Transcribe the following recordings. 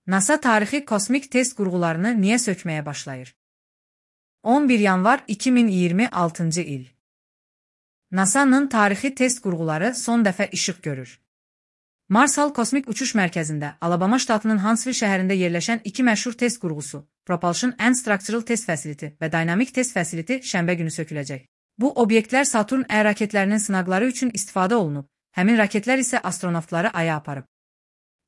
NASA tarixi kosmik test qurğularını niyə sökməyə başlayır? 11 yanvar 2026-cı il. NASA'nın tarixi test qurğuları son dəfə işıq görür. Marshall Kosmik Uçuş Mərkəzində, Alabama ştatının Huntsville şəhərində yerləşən iki məşhur test qurğusu, Propulsion and Structural Test Facility və Dynamic Test Facility şənbə günü söküləcək. Bu obyektlər Saturn Ə raketlərinin sınaqları üçün istifadə olunub, həmin raketlər isə astronavtları Aya aparıb.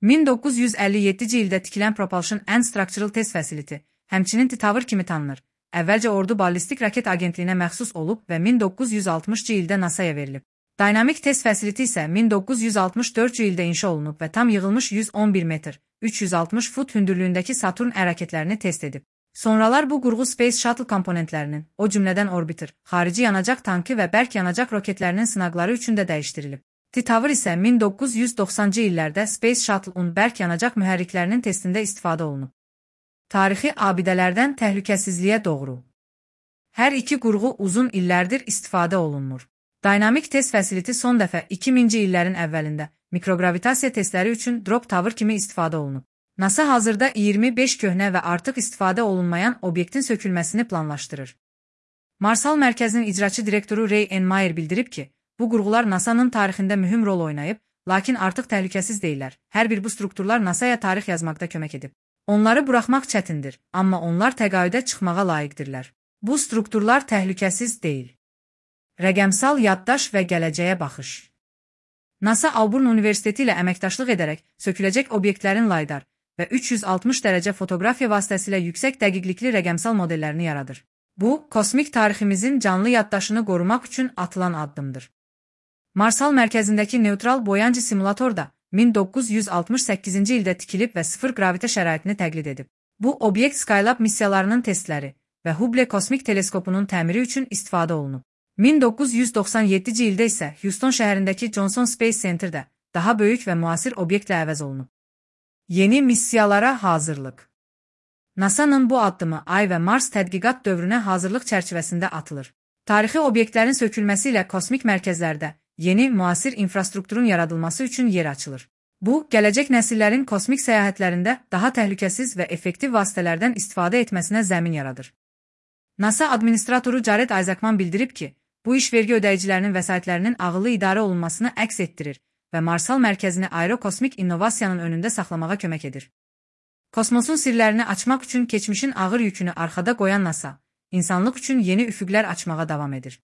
1957-ci ildə tikilən Propulsion and Structural Test Facility, həmçinin T-Tower kimi tanınır. Əvvəlcə Ordu Ballistik Raket Agentliyinə məxsus olub və 1960-cı ildə NASA-ya verilib. Dynamic Test Facility isə 1964-cü ildə inşa olunub və tam yığılmış 111 metr, 360 fut hündürlüyündəki Saturn Ə raketlərini test edib. Sonralar bu qurğu Space Shuttle komponentlərinin, o cümlədən orbiter, xarici yanacaq tankı və bərk yanacaq roketlərinin sınaqları üçün də dəyişdirilib. T-Tower isə 1990-cı illərdə Space Shuttle-un bərk yanacaq mühərriklərinin testində istifadə olunub. Tarixi abidələrdən təhlükəsizliyə doğru. Hər iki qurğu uzun illərdir istifadə olunmur. Dynamic Test Facility son dəfə 2000-ci illərin əvvəlində mikrogravitasiya testləri üçün Drop Tower kimi istifadə olunub. NASA hazırda 25 köhnə və artıq istifadə olunmayan obyektin sökülməsini planlaşdırır. Marshall Mərkəzinin icraçı direktoru Ray N. Meyer bildirib ki, bu qurğular NASA'nın tarixində mühüm rol oynayıb, lakin artıq təhlükəsiz deyilər. Hər bir bu strukturlar NASA'ya tarix yazmaqda kömək edib. Onları buraxmaq çətindir, amma onlar təqaüdə çıxmağa layiqdirlər. Bu strukturlar təhlükəsiz deyil. Rəqəmsal yaddaş və gələcəyə baxış. NASA Auburn Universiteti ilə əməkdaşlıq edərək söküləcək obyektlərin laydar və 360 dərəcə fotoqrafiya vasitəsilə yüksək dəqiqlikli rəqəmsal modellərini yaradır. Bu, kosmik tariximizin canlı yaddaşını qorumaq üçün atılan addımdır. Marshall mərkəzindəki neutral boyancı simulator da 1968-ci ildə tikilib və sıfır gravitə şəraitini təqlid edib. Bu, obyekt Skylab missiyalarının testləri və Hubble kosmik teleskopunun təmiri üçün istifadə olunub. 1997-ci ildə isə Houston şəhərindəki Johnson Space Center-də daha böyük və müasir obyektlə əvəz olunub. Yeni missiyalara hazırlıq. NASA'nın bu addımı Ay və Mars tədqiqat dövrünə hazırlıq çərçivəsində atılır. Tarixi obyektlərin sökülməsi ilə kosmik mərkəzlərdə yeni, müasir infrastrukturun yaradılması üçün yer açılır. Bu, gələcək nəsillərin kosmik səyahətlərində daha təhlükəsiz və effektiv vasitələrdən istifadə etməsinə zəmin yaradır. NASA administratoru Jared Isaacman bildirib ki, bu iş vergi ödəyicilərinin vəsaitlərinin ağıllı idarə olunmasını əks etdirir və Marshall mərkəzini aerokosmik innovasiyanın önündə saxlamağa kömək edir. Kosmosun sirlərini açmaq üçün keçmişin ağır yükünü arxada qoyan NASA, insanlıq üçün yeni üfüqlər açmağa davam edir.